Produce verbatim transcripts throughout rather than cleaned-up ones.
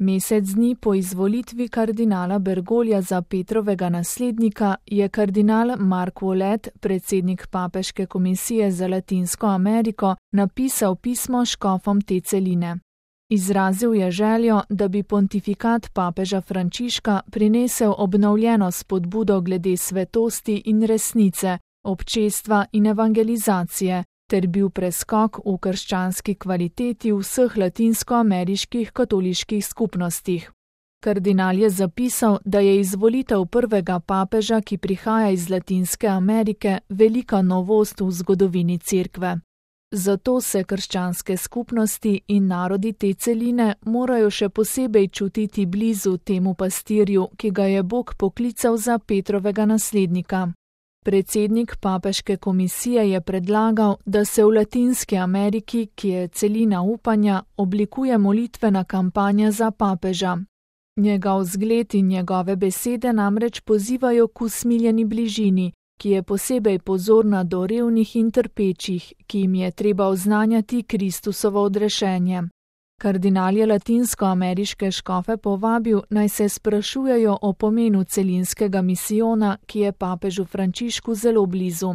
Mesec dni po izvolitvi kardinala Bergoglja za Petrovega naslednika je kardinal Mark Ouellet, predsednik Papeške komisije za Latinsko Ameriko, napisal pismo škofom te celine. Izrazil je željo, da bi pontifikat papeža Frančiška prinesel obnovljeno spodbudo glede svetosti in resnice, občestva in evangelizacije, ter bil preskok v krščanski kvaliteti vseh latinskoameriških katoliških skupnostih. Kardinal je zapisal, da je izvolitev prvega papeža, ki prihaja iz Latinske Amerike, velika novost v zgodovini Cerkve. Zato se krščanske skupnosti in narodi te celine morajo še posebej čutiti blizu temu pastirju, ki ga je Bog poklical za Petrovega naslednika. Predsednik Papeške komisije je predlagal, da se v Latinski Ameriki, ki je celina upanja, oblikuje molitvena kampanja za papeža. Njegov zgled in njegove besede namreč pozivajo k usmiljeni bližini, ki je posebej pozorna do revnih in trpečih, ki jim je treba oznanjati Kristusovo odrešenje. Kardinal je latinskoameriške škofe povabil, naj se sprašujejo o pomenu celinskega misijona, ki je papežu Frančišku zelo blizu.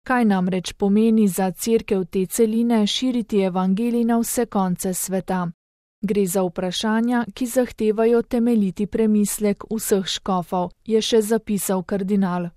Kaj namreč pomeni za Cerkev te celine širiti evangelij na vse konce sveta? Gre za vprašanja, ki zahtevajo temeljiti premislek vseh škofov, je še zapisal kardinal.